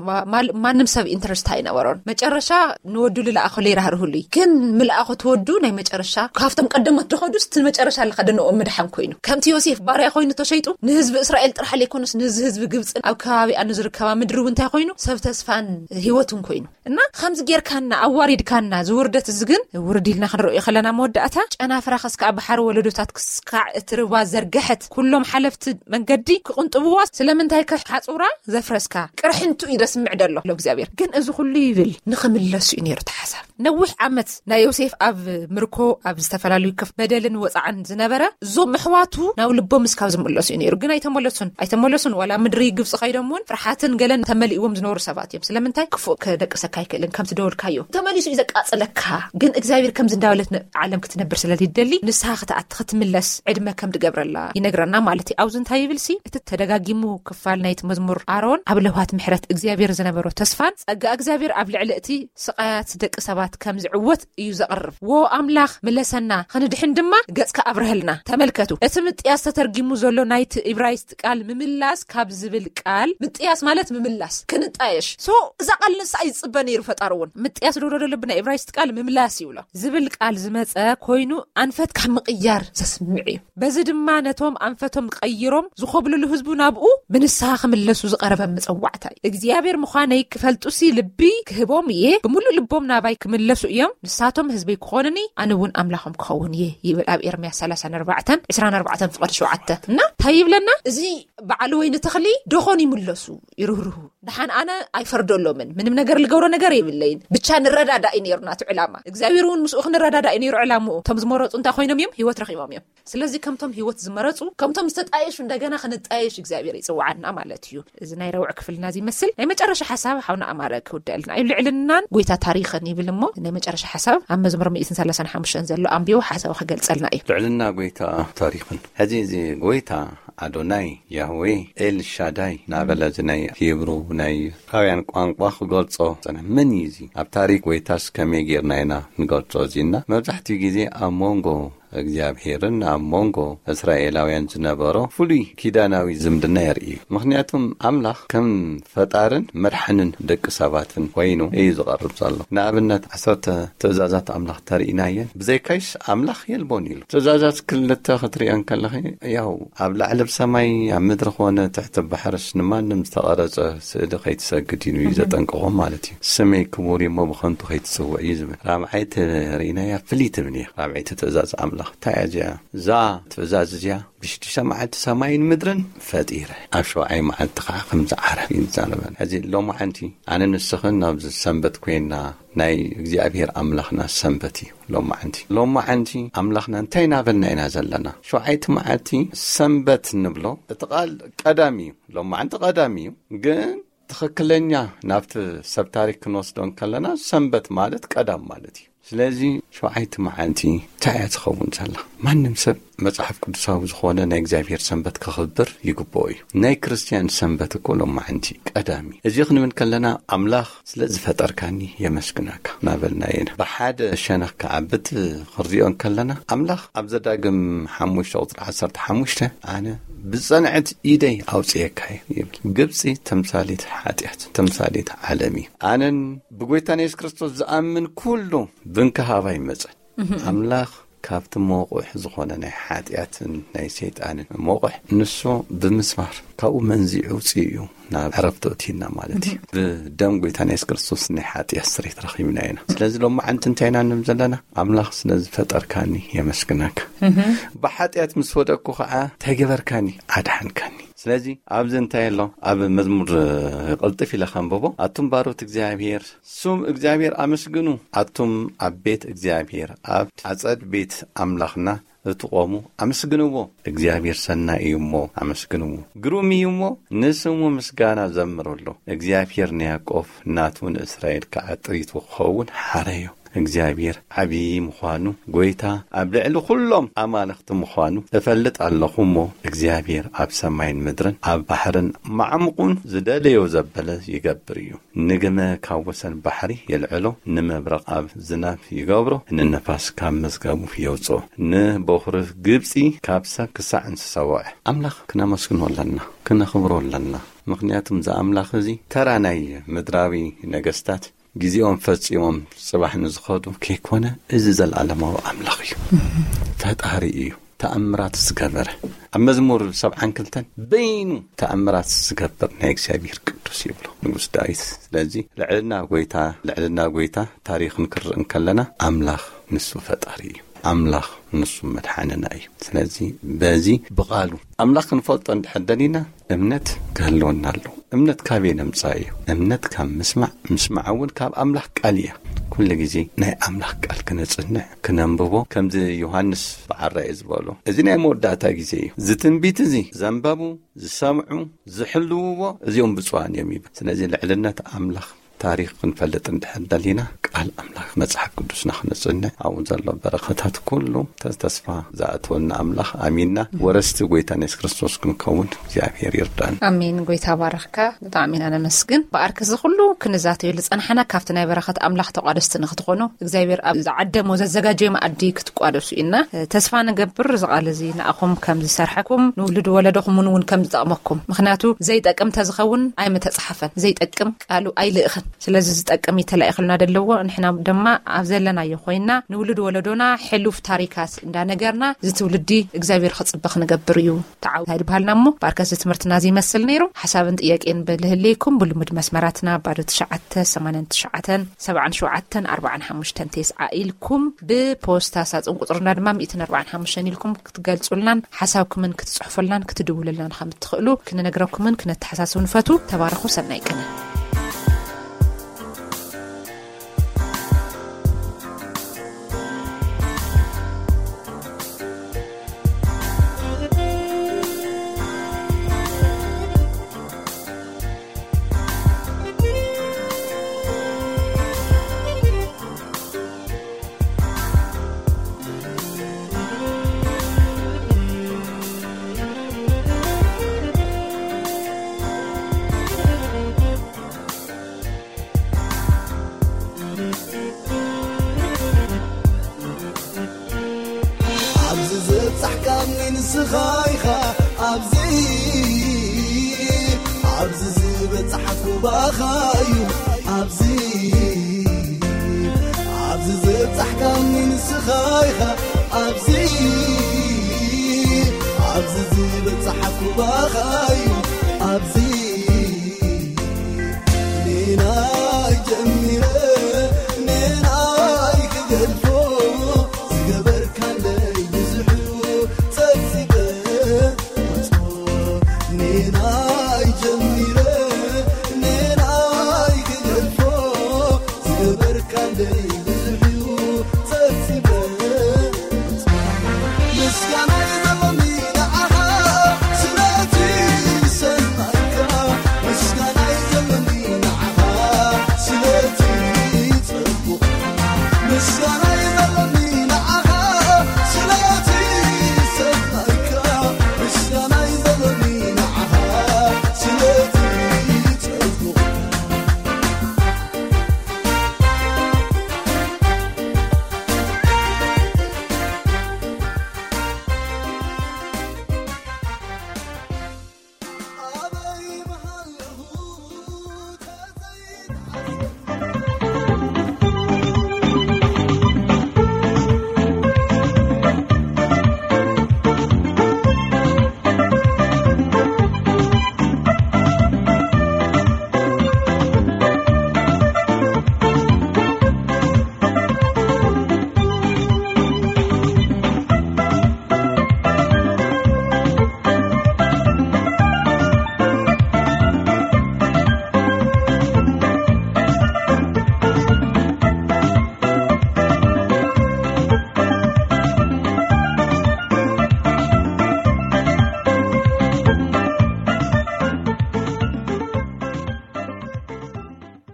ማ- ማል- ማንም ሰብ ኢንተረስት ኣይነበሮን። መጨረሻ ንወዱ ልለኣኸሉ ይራህርህሉ እዩ። ግን ምልኣኹ ትወዱ ናይ መጨረሻ ካብቶም ቀደሞት ድኸዱስ እቲ መጨረሻ ለኸደንኦም ምድሓን ኮይኑ፣ ከምቲ ዮሴፍ ባርያ ኮይኑ ተሸይጡ፣ ንህዝቢ እስራኤል ጥራሕ ለይኮነስ ንዚ ህዝቢ ግብፅን ኣብ ከባቢኣ ንዝርከባ ምድሪ እውን እንታይ ኮይኑ፣ ሰብ ተስፋን ህይወትን ኮይኑ። እና ከምዚ ጌርካና ኣዋሪድካና፣ ዝውርደት እዚ ግን ውርድ ኢልና ክንርእዮ ከለና መወዳእታ ጨናፍራ ከስካዕ ባሕሪ ወለዶታት ክስካዕ እቲ ርባ ዘርገሐት ኩሎም ሓለፍቲ መንገዲ ክቕንጥብዋ ስለምንታይ ከ ሓጹራ ዘፍረስካ? ቅርሕንቱ እዩ ደስምዕ ደሎ ሎ እግዚኣብሔር። ግን እዚ ኩሉ ይብል ንኽምለሱ እዩ ነይሩ እቲ ሓሳብ። ነዊሕ ዓመት ናይ ዮሴፍ ኣብ ምርኮ ኣብ ዝተፈላለዩ ክፍ በደልን ወፃዕን ዝነበረ እዞም ኣሕዋቱ ናብ ልቦም እስካብ ዝምለሱ እዩ ነይሩ። ግን ኣይተመለሱን ኣይተመለሱን። ዋላ ምድሪ ግብፂ ከይዶም እውን ፍርሓትን ገለን ተመሊእዎም ዝነበሩ ሰባት እዮም። ስለምንታይ ክፉእ ከደቅሰካ ኣይክእልን። ከምቲ ደወልካዮ ተመሊሱ እዩ ዘቃፅለካ። ግን እግዚኣብሔር ከምዚ እንዳበለት ን- ዓለም ክትነብር ስለልደሊ ንስኻ ክትኣቲ ክትምለስ ዕድመ ከም ትገብረላ ይነግረና ማለት እዩ። ኣብዚ እንታይ ይብል ሲ እቲ ተደጋጊሙ ክፋል ናይቲ መዝሙር ኣሮን ኣብ ለውሃት ምሕረት እግዚኣብሔር ዝነበሮ ተስፋን ጸጋ እግዚኣብሔር ኣብ ልዕሊ እቲ ስቓያት ደቂ ሰባት ከም ዝዕወት እዩ ዘቕርብ። ወ ኣምላኽ ምለሰና፣ ክንድሕን ድማ ገጽካ ኣብርሀልና። ተመልከቱ፣ እቲ ምጥያስ ተተርጊሙ ዘሎ ናይቲ ኢብራይስጥ ቃል ምምላስ ካብ ዝብል ቃል፣ ምጥያስ ማለት ምምላስ፣ ክንጣየሽ። ሶ እዛ ቃል ንሳ እዩ ዝጽበ ነይሩ ፈጣሪ እውን። ምጥያስ ዶ ዶ ልብና ኢብራይስጥ ቃል ምምላስ ይብሎ። ዝብል ቃል ዝመጸ ኮይኑ ኣንፈት ካብ ምቕያር ዘስምዕ እዩ። በዚ ድማ ነቶም ኣንፈቶም ቀይሮም ዝኾብልሉ ህዝቡ ናብኡ ብንስሓ ክምለሱ ዝቐረበ መጸዋዕታ እዩ። እግዚኣብሔር ምዃነይ ክፈልጡሲ ልቢ ክህቦም እየ፣ ብምሉእ ልቦም ናባይ ክምለሱ እዮም፣ ንሳቶም ህዝበይ ክኾኑኒ፣ ኣነ እውን ኣምላኾም ክኸውን እየ ይብል ኣብ ኤርምያስ ሰላሳን ኣርባዕተን፣ ዕስራን ኣርባዕተን ፍቕዲ ሸውዓተ። እና እንታይ ይብለና? እዚ በዓል ወይኒ ተኽሊ ዶኾን ይምለሱ ይርህርሁ። ደሓን ኣነ ኣይፈርደሎምን፣ ምንም ነገር ልገብሮ ነገር የብለይን፣ ብቻ ንረዳዳእ እዩ ነይሩ ናቱ ዕላማ። እግዚኣብሔር እውን ምስኡ ክንረዳዳእ እዩ ነይሩ ዕላምኡ። እቶም ዝመረፁ እንታይ ኮይኖም እዮም? ህይወት ረኺቦም እዮም። ስለዚ ከምቶም ህይወት ዝመረፁ፣ ከምቶም ዝተጣየሹ እንደገና ክንጣየሽ እግዚኣብሔር ይፅውዓና ማለት እዩ። እዚ ናይ ረውዕ ክፍልና እዚ ይመስል። ናይ መጨረሻ ሓሳብ ሓውና ኣማረ ክውደልና እዩ። ልዕልናን ጎይታ ታሪኽን ይብል እሞ ናይ መጨረሻ ሓሳብ ኣብ መዝሙር ሚእትን ሰላሳን ሓሙሽተን ዘሎ ኣንቢቡ ሓሳቡ ክገልጸልና እዩ። ልዕልና ጎይታ ታሪኽን። ሕዚ እዚ ጎይታ ኣዶናይ፣ ያህዌ፣ ኤል ሻዳይ እናበለ እዚ ናይ ሂብሩ ናይ ዕብራውያን ቋንቋ ክገልጾ ጸንሐ። መን እዩ እዚ? ኣብ ታሪኽ ጎይታስ ከመይ ጌርና ኢና ንገልጾ? እዚና መብዛሕትኡ ግዜ ኣብ መንጎ እግዚኣብሄርን ኣብ መንጎ እስራኤላውያን ዝነበሮ ፍሉይ ኪዳናዊ ዝምድና የርኢ እዩ። ምኽንያቱም ኣምላኽ ከም ፈጣርን መድሓንን ደቂ ሰባትን ኮይኑ እዩ ዝቐርብ ዘሎ። ንኣብነት ዓሰርተ ትእዛዛት ኣምላኽ ተርእናየን፣ ብዘይካይስ ኣምላኽ የልቦን ኢሉ። ትእዛዛት ክልተ ክትሪኦ እንከለኺ፣ ያው ኣብ ላዕሊ ብሰማይ ኣብ ምድሪ ኮነ ትሕቲ ባሕርስ ንማንም ዝተቐረጸ ስእሊ ከይትሰግድ ኢሉ እዩ ዘጠንቅቖም ማለት እዩ። ስመይ ክቡር እዩ እሞ ብኸንቱ ከይትጽውዕ እዩ ዝብል። ራብዓይቲ ርኢናያ ፍልይቲ ትብል እያ። ራብዓይቲ ትእዛዝ ኣምላኽ እንታይ እያ እዚኣ? እዛ ትእዛዝ እዚኣ ብሽዱሽተ መዓልቲ ሰማይን ምድርን ፈጢረ፣ ኣብ ሸውዓይ መዓልቲ ከዓ ከምዚ ዓረፍ እዩ ዝዛረበን። ሕዚ ሎማዓንቲ ኣነ ንስኽን ኣብዚ ሰንበት ኮይንና ናይ እግዚኣብሔር ኣምላኽና ሰንበት እዩ። ሎማዓንቲ ሎማዓንቲ ኣምላኽና እንታይ እናበልና ኢና ዘለና? ሸውዓይቲ መዓልቲ ሰንበት እንብሎ እቲ ቃል ቀዳም እዩ። ሎማዓንቲ ቀዳም እዩ፣ ግን ትኽክለኛ ናብቲ ሰብ ታሪክ ክንወስዶ እንከለና ሰንበት ማለት ቀዳም ማለት እዩ። ስለዚ ሸውዓይቲ መዓልቲ እንታይ እያ ትኸውን ዘላ? ማንም ሰብ መጽሓፍ ቅዱሳዊ ዝኾነ ናይ እግዚኣብሔር ሰንበት ከኽብር ይግብኦ እዩ። ናይ ክርስትያን ሰንበት እኮ ሎማዓንቲ ቀዳም እዩ። እዚ ክንብል ከለና ኣምላኽ ስለ ዝፈጠርካኒ የመስግነካ እናበልና ኢና። ብሓደ ሸነኽ ከዓ ብቲ ክንሪኦ እንከለና ኣምላኽ ኣብ ዘዳግም ሓሙሽተ ቁፅሪ ዓሰርተ ሓሙሽተ ኣነ ብጸንዐት ኢደይ ኣውፅኤካ እየ ይብል። ግብፂ ተምሳሌት ሓጢኣት፣ ተምሳሌት ዓለም እዩ። ኣነን ብጎይታና የሱስ ክርስቶስ ዝኣምን ኩሉ ብንክሃባ ይመፀ። ኣምላኽ ካብቲ መቑሕ ዝኾነ ናይ ሓጢኣትን ናይ ሰይጣንን መቑሕ ንሱ ብምስማር ካብኡ መንዚዑ ውፅኡ እዩ ናብ ዕረፍቱ እቲና ማለት እዩ። ብደም ጎይታና የሱስ ክርስቶስ ናይ ሓጢኣት ስሬት ረኺብና ኢና። ስለዚ ሎማዓንቲ እንታይ ኢና ንብል ዘለና? ኣምላኽ ስለ ዝፈጠርካኒ የመስግነካ። ብሓጢኣት ምስ ወደቅኩ ከዓ እንታይ ገበርካኒ? ኣድሓንካኒ። ስለዚ ኣብዚ እንታይ ኣሎ? ኣብ መዝሙር ቅልጥፍ ኢለ ከንብቦ። ኣቱም ባሮት እግዚኣብሔር ስም እግዚኣብሔር ኣመስግኑ፣ ኣቱም ኣብ ቤት እግዚኣብሔር ኣብ ኣጸድ ቤት ኣምላኽና እትቖሙ ኣመስግንዎ። እግዚኣብሔር ሰናይ እዩ እሞ ኣመስግንዎ፣ ግሩም እዩ እሞ ንስሙ ምስጋና ዘምርሉ። እግዚኣብሔር ንያዕቆብ ናቱ ንእስራኤል ከዓ ጥሪቱ ክኸውን ሓረዮ። እግዚኣብሔር ዓብዪ ምዃኑ፣ ጐይታ ኣብ ልዕሊ ኵሎም ኣማልኽቲ ምዃኑ እፈልጥ ኣለኹ እሞ፣ እግዚኣብሔር ኣብ ሰማይን ምድርን ኣብ ባሕርን ማዕሙቑን ዝደለዮ ዘበለ ይገብር እዩ። ንግመ ካብ ወሰን ባሕሪ የልዕሎ፣ ንመብረቕ ኣብ ዝናብ ይገብሮ፣ ንነፋስ ካብ መዝገቡ የውጽኦ፣ ንበኹሪ ግብጺ ካብ ሰብ ክሳዕ እንስሳ ወግዒ። ኣምላኽ ክነመስግኖ ኣለና፣ ክነኽብሮ ኣለና። ምኽንያቱም እዚ ኣምላኽ እዚ ተራ ናይ ምድራዊ ነገስታት ግዜኦም ፈጺሞም ጽባሕ ንዝኸዱ ከይኮነ፣ እዚ ዘለኣለማዊ ኣምላኽ እዩ። ፈጣሪ እዩ። ተኣምራት ዝገበረ፣ ኣብ መዝሙር ሰብዓን ክልተን በይኑ ተኣምራት ዝገብር ናይ እግዚኣብሔር ቅዱስ ይብሎ ንጉስ ዳዊት። ስለዚ ልዕልና ጐይታ፣ ልዕልና ጐይታ ታሪኽ ክንርኢ እንከለና ኣምላኽ ንሱ ፈጣሪ እዩ። ኣምላኽ ንሱ መድሓንና እዩ። ስለዚ በዚ ብቓሉ ኣምላኽ ክንፈልጦ እንድሕር ደሊና እምነት ክህልወና ኣለዎ። እምነት ካበይ ነምጽኣ እዩ? እምነት ካብ ምስማዕ፣ ምስማዕ እውን ካብ ኣምላኽ ቃል እያ። ኩሉ ግዜ ናይ ኣምላኽ ቃል ክነጽንዕ፣ ክነንብቦ፣ ከምዚ ዮሃንስ ብዓራይ ዝበሎ፣ እዚ ናይ መወዳእታ ግዜ እዩ። እዚ ትንቢት እዚ ዘንበቡ፣ ዝሰምዑ፣ ዝሕልውዎ፣ እዚኦም ብፁዓን እዮም ይብል። ስለዚ ልዕልነት ኣምላኽ ታሪኽ ክንፈልጥ እንድሕር ደሊና ቃል ኣምላኽ መጽሓፍ ቅዱስና ክነጽንዕ፣ ኣብኡ ዘሎ በረኸታት ኩሉ ተ-፣ ተስፋ ዝኣተወልና ኣምላኽ ኣሚንና ወረስቲ ጐይታና የሱስ ክርስቶስ ክንከውን እግዚኣብሔር ይርዳን። ኣሜን። ጐይታ ባረኽካ። ብጣዕሚ ኢና ነመስግን። ብኣርከ እዚ ኩሉ ክንዛተየሉ ዝጸናሕና ካብቲ ናይ በረኸት ኣምላኽ ተቋደስቲ ንክትኾኑ እግዚኣብሔር ኣብ ዝዓደሞ ዘዘጋጀዮ መኣዲ ክትቋደሱ ኢና ተስፋ ንገብር። እዚ ቃል እዚ ንኣኹም ከም ዝሰርሐኩም ንውሉድ ወለዶኹም እውን ከም ዝጠቕመኩም። ምኽንያቱ ዘይጠቅም ተዝኸውን ኣይምተጻሕፈን። ዘይጠቅም ቃሉ ኣይልእኽን። ስለዚ ዝጠቅም እዩ ተላኢኽልና ደለዎ። ንሕና ድማ ኣብ ዘለናዮ ኮይና ንውሉድ ወለዶና ሕሉፍ ታሪካት እንዳነገርና እዚ ትውልዲ እግዚኣብሔር ክጽበ ክንገብር እዩ ተዓው። እንታይ ድበሃልና እሞ ብኣርከስ ትምህርትና እዚ ይመስል ነይሩ። ሓሳብን ጥያቄን ብልህልየኩም ብልሙድ መስመራትና ባዶ ትሽዓተ ሰማንያን ትሽዓተን ሰብዓን ሸውዓተን ኣርባዓን ሓሙሽተን ተስዓ ኢልኩም ብፖስታ ሳጥን ቁጽርና ድማ ሚእትን ኣርባዓን ሓሙሽተን ኢልኩም ክትገልጹልናን ሓሳብኩምን ክትጽሕፉልናን ክትድውሉልናን ከም እትኽእሉ ክንነግረኩምን ክነተሓሳስብ ንፈቱ። ተባረኹ። ሰናይ ቅነ። ኣብዚ ዝበጻሕካኒ ንስኻ ኢኻ፣ ኣብዚ፣ ኣብዚ ዝበጻሕኩ ባኻ እዩ፣ ኣብዚ፣ ኣብዚ ዝበጻሕካኒ ንስኻ ኢኻ፣ ኣብዚ፣ ኣብዚ ዝበጻሕኩ ባኻ እዩ፣ ኣብዚ